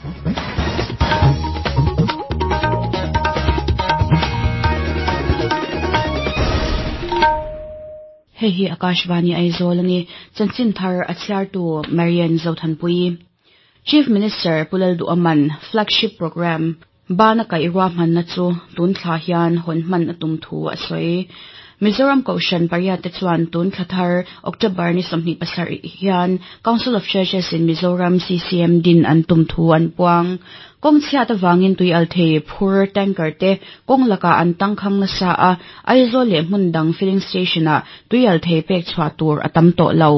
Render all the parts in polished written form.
Hei hi Akashvani Aizawl a ni. Chanchin thar a chhiartu Marian Zothanpuii. Chief Minister Pu Lalduhaman Flagship Programme Bana kaih ruahmanna chu tun thla hian hawn hman a tum thu a sawi. Mizoram Kohhran pariat te chuan tun thla thar October ni 27 hian Council of Churches in Mizoram, CCM, din an tum thu an puang. Kawng chhiat avangin tui al thei phur tanker te kawng lakah an tangkhang nasa a, Aizawl leh hmun dang filling station-ah tui al thei pek chhuah tur a tam tawh lo.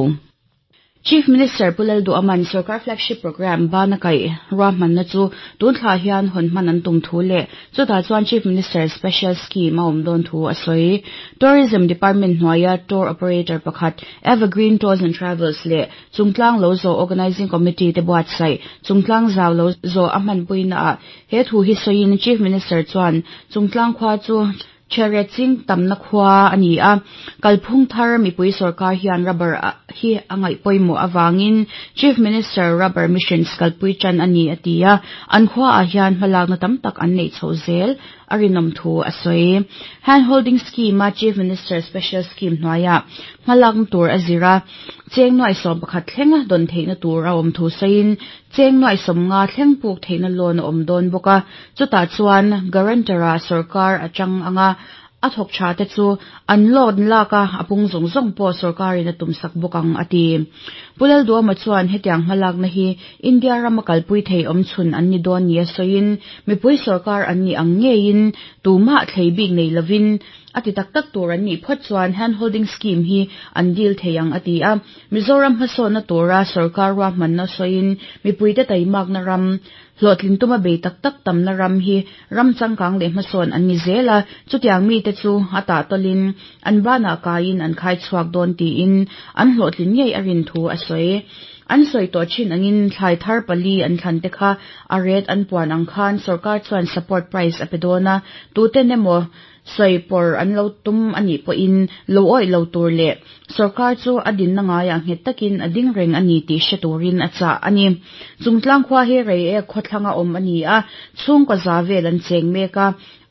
Chief Minister Pu Lalduhaman Sorkar Flagship Programme bana kaih ruahmanna chu tun thla hian hawn hman an tum thu leh chutah chuan Chief Minister Special Scheme a awm dawn thu a sawi. Tourism Department hnuaia tour operator pakhat Evergreen Tours and Travels leh Chungtlang Lo Zawh Organising Committee te buatsaih Chungtlang Zau Lo Zawh a hmanpuinaah he thu hi sawiin Chief Minister chuan Chungtlang khua chu Chhehret ching tamna khua a ni a, kalphung thar mipui sorkar hian rubber hi a ngaih pawimawh avangin Chief Minister Rubber Missions kalpui tan a ni a ti a, an khuaah hian hmalakna tam tak an neih chhoh zel a rinawm thu a sawi. Hand Holding Scheme-a Chief Minister Special Scheme hnuaiah hmalakna tur a zir a, cheng nuai 11 thlenga dawn theihna tur a awm thu sawiin Cheng nuai 50 thleng puk theihna loan a awm dawn bawk a, chutah chuan guarantor-ah sorkar a chang ang a, a thawk tha te chu an loan lak a, a pung zawng zawng pawh sorkarin a tumsak bawk ang, a ti. Pu Lalduama chuan hetiang hmalakna hi India rama kalpui thei awm chhun an ni dawn nia sawiin, mipui sorkar an nih ang ngeiin tumah thlei bik nei lovin a ti tak tak tur an nih phawt chuan hand holding scheme hi an deal thei ang, a ti a. Mizoram hmasawnna tura sorkar ruahmanna sawiin mipuite taimakna ram, hlawhtlin tuma bei tak tak tamna ram hi ram changkang leh hmasawn an ni zel a, chutiang mite chu a tahtawlin an banah kaiin an khai chhuak dawn tiin an hlawhtlin ngei a rin thu a sawi. An sawi tawh thin angin thlai thar pali an thlan te kha a ret an puan ang khan sorkar chuan support price a pe dawn a, tuten emaw Sawi pawr an lo tum a nih pawhin lo awih lo tur leh sorkar chu a dinna ngaiah nghet takin a ding reng a ni tih hre turin a chah a ni. Chungtlang khua hi Reiek khawthlanga awm a ni a, chhungkaw za vel an cheng mek a,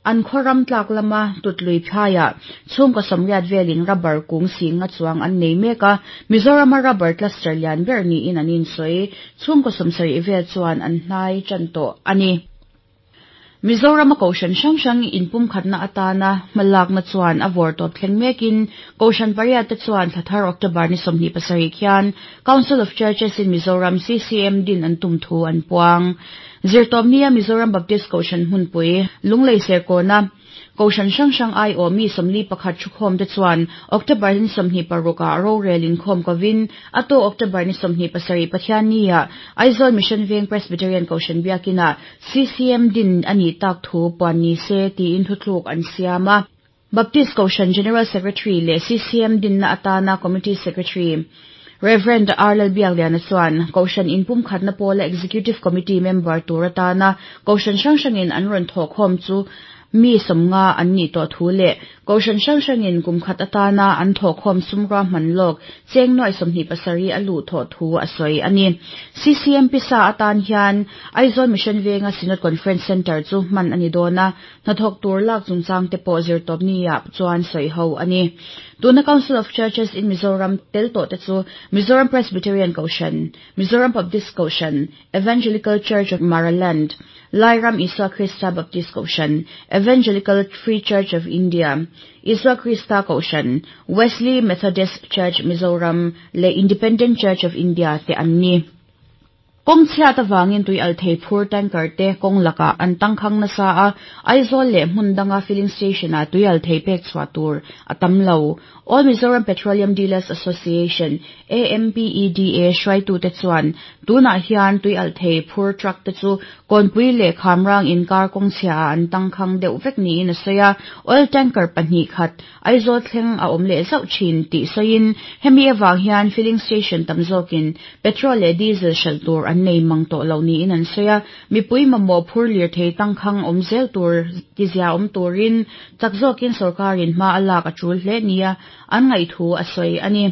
an khaw ram tlak lama Tutlui phaiah chhungkaw 80 velin rubber kung singa chuang an nei mek a, Mizorama rubber cluster lian ber niin an insawi. Chhungkaw 70 vel chuan an hnai tan tawh a ni. Mizorama Kohhran hrang hrang inpumkhatna atana hmalakna chuan a vawrtawp thleng mekin Kohhran pariat te chuan thla thar October ni 27 khian Council of Churches in Mizoram, CCM, din an tum thu an puang. Zirtawpnia Mizoram Baptist Kohhran hmunpui, Lunglei Serkawna, Kohhran hrang hrang aiawh mi 41 thukhawm te chuan October ni 26 ah rorel inkhawm kovin a tawh October ni 27 Pathianni-ah Aizawl Mission Veng Presbyterian Kohhran Biakinah CCM din a nih tak thu puan ni se tiin thuthluk an siam a. Baptist Kohhran General Secretary leh CCM dinna atana Committee Secretary Rev. R. Lalbiakliana chuan Kohhran inpumkhatna pawla Executive Committee member tur atana Kohhran hrang hrangin an rawn thawhkhawm chu mi 50 an nih tawh thu leh Kohhran hrang hrangin kum khat atana an thawhkhawm sum ruahman lawk cheng nuai 27 a luh thawh thu a sawi a ni. CCM pisa atan hian Aizawl Mission Venga Synod Conference Centre chu hman a ni dawn a, hnathawk tur lak chungchang te pawh zirtawpni-ah chuan sawi ho a ni. Tuna Council of Churches in Mizoram tel tawh te chu Mizoram Presbyterian Kohhran, Mizoram Baptist Kohhran, Evangelical Church of Maraland, Lairam Isua Krista Baptist Kohhran, Evangelical Free Church of India, Isua Krista Kohhran, Wesley Methodist Church Mizoram leh Independent Church of India te an ni. Kawng chhiat avangin tui al thei phur tanker te kawng lakah an tangkhang nasa a, Aizawl leh hmun danga filling station-ah tui al thei pek chhuah tur a tam lo. All Mizoram Petroleum Dealers Association, AMPEDA, hruaitute chuan tunah hian tui alh thei phur truck te chu Kawnpui leh Khamrang inkar kawng chhiaah an tangkhang deuh vek niin a sawi a, oil tanker pahnih khat Aizawl thleng a awm leh zauh thin tih sawiin hemi avang hian filling station tam zawkin petrol leh diesel hralh tur an nei mang tawh lo niin an sawi a. Mipui mamawh phur lirthei tangkhang awm zel tur tizia awm turin chak zawkin sawrkarin hma a lak a tul hle nia an ngaihthu a sawi a ni.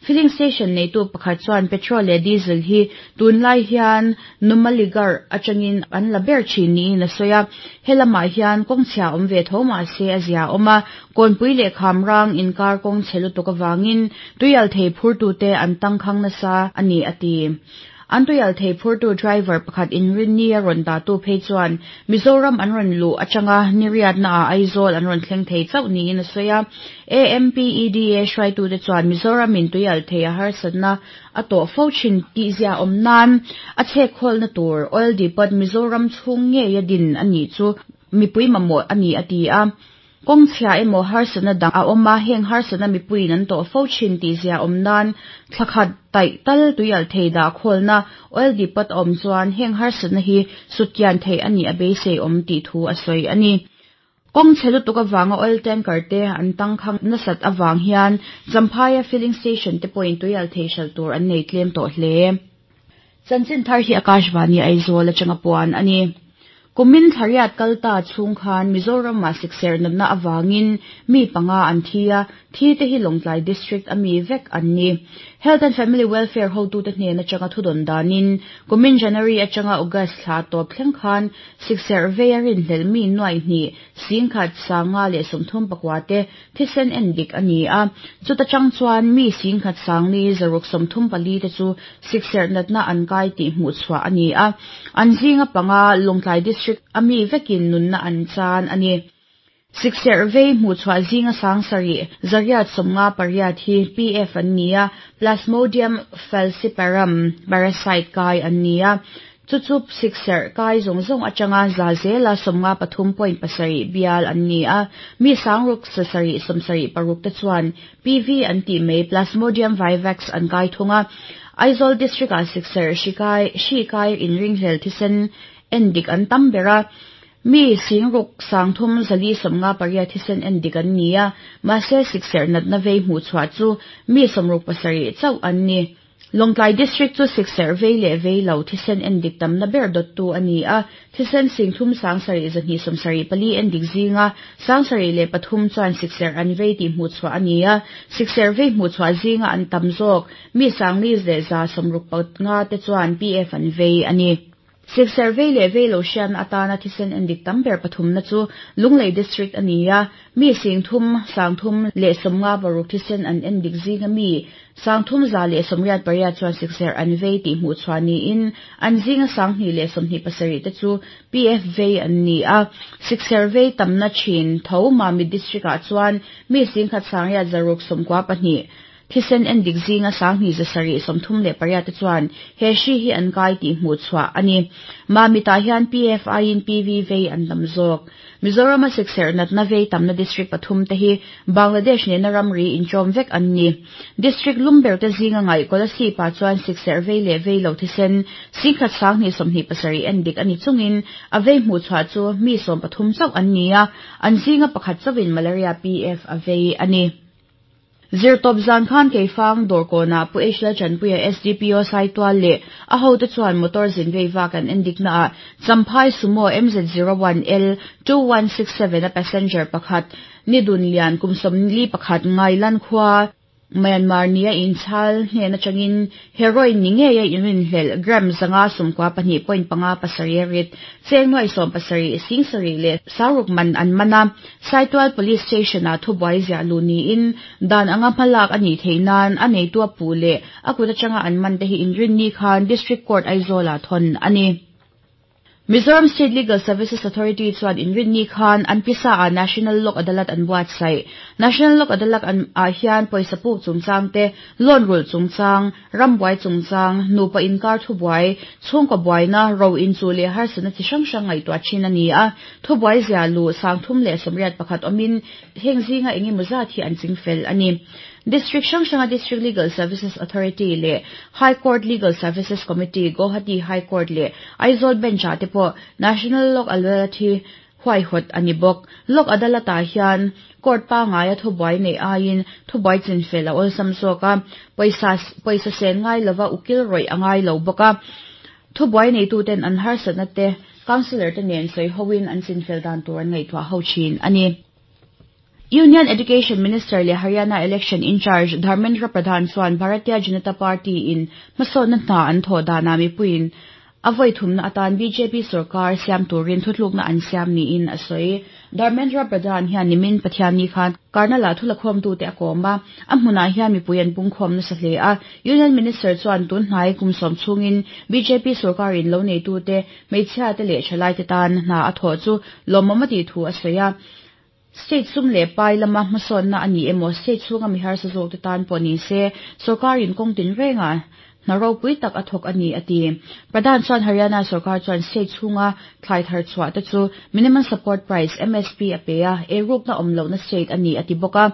Filling station neitu pakhat chuan petrol leh diesel hi tunlai hian Numaligarh atangin an la ber thin niin a sawi a. He lamah hian kawng chhia awm ve tho mah se a zia awm a, Kawnpui leh Khamrang inkar kawng chhe lutuk avangin tuialthei phurtute an tangkhang nasa a ni a ti. An tuialthei phurtu driver pakhat inrinni a rawn dahtu phei chuan Mizoram an rawn luh atanga niriatnaah Aizawl an rawn thleng thei chauh niin a sawi a. AMPEDA hruaitute chuan Mizoramin tuialthei a harsatna a tawh fo thin tihzia awm nan a chhekkhawlna tur Oil Depot Mizoram chhung ngeia din a nih chu mipui mamawh a ni a ti a. Kawng chhia emaw harsatna dang a awm a, heng harsatna mipuiin an tawh fo thin tih zia awm nan thla khat taih tal tuialh thei dah khawlna oil depot a awm chuan heng harsatna hi sutkian theih a nih a beisei awm tih thu a sawi a ni. Kawng chhe lutuk avanga oil tanker te an tangkhang nasat avang hian Champhaia filling station te pawhin tuialh thei hralh tur an nei tlem tawh hle. Chanchin thar hi Akashvani Aizawl atanga puan a ni. Kumin thlariat kal ta chhung khan Mizoramah sikserh natna avangin mi panga an thi a, thi te hi Lawngtlai District a mi vek an ni. Health and Family Welfare hotute hnen atanga thudawn danin kumin January atanga August thla tawp thleng khan sikserh vei a rinhlelh mi nuaih hnih singkhat sanga leh 34 te Thisen en dik a ni a, chuta chang chuan mi 10,000 sangli zaruk 34 te chu sikserh natna an kai tih hmuh chhuah a ni a, an zinga panga Lawngtlai District a mi vekin nunna an chan a ni. Sikserh vei hmuh chhuah zinga 7,000 858 hi PF an ni a, Plasmodium falciparum parasite kai an ni a, Chu chu sikserh kai zawng zawng atanga za zela 53.7 bial an ni a, mi 6 7 76 te chuan PV an tih mai Plasmodium vivax an kai thung a. Aizawl District-ah sikserh hri kai hri kai inringhlel thisen en dik an tam ber a, mi 6 3 458 thisen en dik an ni a, mahse sikserh natna vei hmuhchhuah chu mi 67 chauh an ni. Lawngtlai District chu sikserh vei leh vei lo thisen en dik tamna ber dawttu a ni a, thisen 3 7,274 en dik zinga 73 chuan sikserh an vei tih hmuhchhuah a ni a, sikserh vei hmuhchhuah zinga an tam zawk mi 4 165 te chuan PF an vei a ni. Sikserh vei leh vei lo hriatna atana thisen en dik tam ber pathumna chu Lunglei District a ni a, mi 3 356 thisen an en dik zinga mi 3,188 chuan sikserh an vei tih hmuhchhuah niin an zinga 227 te chu PF vei an ni a. Sikserh vei tamna thin tho Mamit District-ah chuan mi 1,692 Thisen en dik zinga 2,738 te chuan he hri hi an kai tih hmuhchhuah a ni. Mamitah hian PFI-in PV vei an tam zawk. Mizorama sikserh natna vei tamna district pathum te hi Bangladesh nena ramri inchawm vek an ni. District lum ber te zinga ngaih Kolasib-ah chuan sikserh vei leh vei lo thisen 1,127 en dik a ni chungin a vei hmuhchhuah chu mi 13 chauh an ni a, an zinga pakhat chauhin malaria PF a vei a ni. Zirtawp zan khan Keifang dawrkawnah Pu H Lalchanpuia SDPO Saitual leh a hote chuan motor zin vei vak an en diknaah Champhai Sumo MZ01L 2167 a passenger pakhat Nidun Lian kum 41 Ngailan khua Myanmar nia inchhal hnen atangin heroin ni ngeia inrinhlelh gram 592.57 a rit cheng nuai 17 7 leh 6 man an man a. Saitual Police Station-ah thubuai ziah luh niin dan anga hmalak a nih theih nan a neitu a puh leh a kut atanga an man te hi inrinni khan District Court Aizawl-ah thawn a ni. Mizoram State Legal Services Authority chuan inrinni khan an pisa-ah National Lok Adalat an buatsaih. National Lok Adalat ah hian pawisa puk chungchang te, loan rulh chungchang, rambuai chungchang, nupa inkar thubuai, chhungkaw buaina, ro inchuh leh harsatna chi hrang hrang ngaihtuah thin a ni a. Thubuai zia luh 381 awmin heng zinga eng emaw zat hi an ching fel a ni. District hrang hranga District Legal Services Authority leh High Court Legal Services Committee, Guwahati High Court leh Aizawl Bench-ah te pawh National Lok Adalat hi huaihawt a ni bawk. Lok Adalat-ah hian court pangaia thubuai neih aiin thubuai chinfel a awlsam zawk a, pawisa pawisa sen ngai lova ukil rawih a ngai lo bawk a. Thubuai neituten an harsatna te Councillor te nen sawi hoin an chinfel dan tur an ngaihtuah ho thin a ni. Union Education Minister leh Haryana Election in-charge Dharmendra Pradhan chuan Bharatiya Janata Party in hmasawnna hna an thawh danah mipuiin a vawi thumna atan bjp sorkar siam turin thutlukna an siam niin a sawi. Dharmendra Pradhan hian nimin Pathianni khan Karnal-ah thulakhawmtute a kawm a, a hmunah hian mipui an pungkhawm nasa hle a. Union Minister chuan tun hnai kum sawm chhungin bjp sorkarin lo neitute, hmeichhiate leh thalaite tan hna a thawh chu lawmawm a tih thu a sawi a. State sum leh pai lama hmasawnna a ni emaw, state chhunga mi harsa zawkte tan pawh ni se, sorkarin kawng tinrengah hna ropui tak a thawk a ni, a ti. Pradhan chuan Haryana sorkar chuan state chhunga thlai thar chhuah te chu Minimum Support Price, MSP, a pe a, eirukna awm lohna state a ni, a ti bawk a.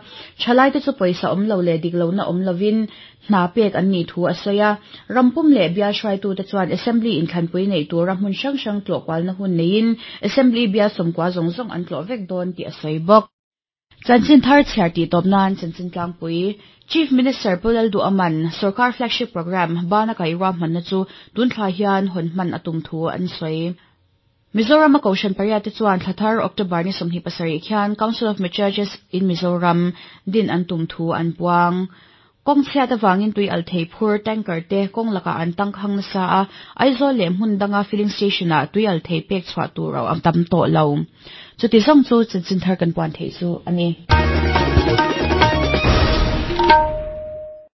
Thalaite chu pawisa awm lo leh dik lohna awm lovin Hna pek an nih thu a sawi a. Rampum leh bial hruaitute chuan Assembly inthlanpui neih tura hmun hrang hrang tlawh kualna hun neiin Assembly bial sawmkua zawng zawng an tlawh vek dawn tih a sawi bawk. Chanchin thar chhiar tih tawp nan chanchin tlangpui Chief Minister Pu Lalduhaman Sorkar Flagship Programme bana kaih ruahmanna chu tun thla hian hawn hman a tum thu an sawi. Mizoram a Kohhran pariat te chuan thla thar October ni 27 khian Council of Churches in Mizoram din an tum thu an puang. Kawng chhiat avangin tui al thei phur tanker te kawng lakah an tangkhang nasa a, Aizawl leh hmun danga filling station ah tui al thei pek chhuah tur a tam tawh lo. Chuti zawng chu chanchin thar kan puan theih chu a ni.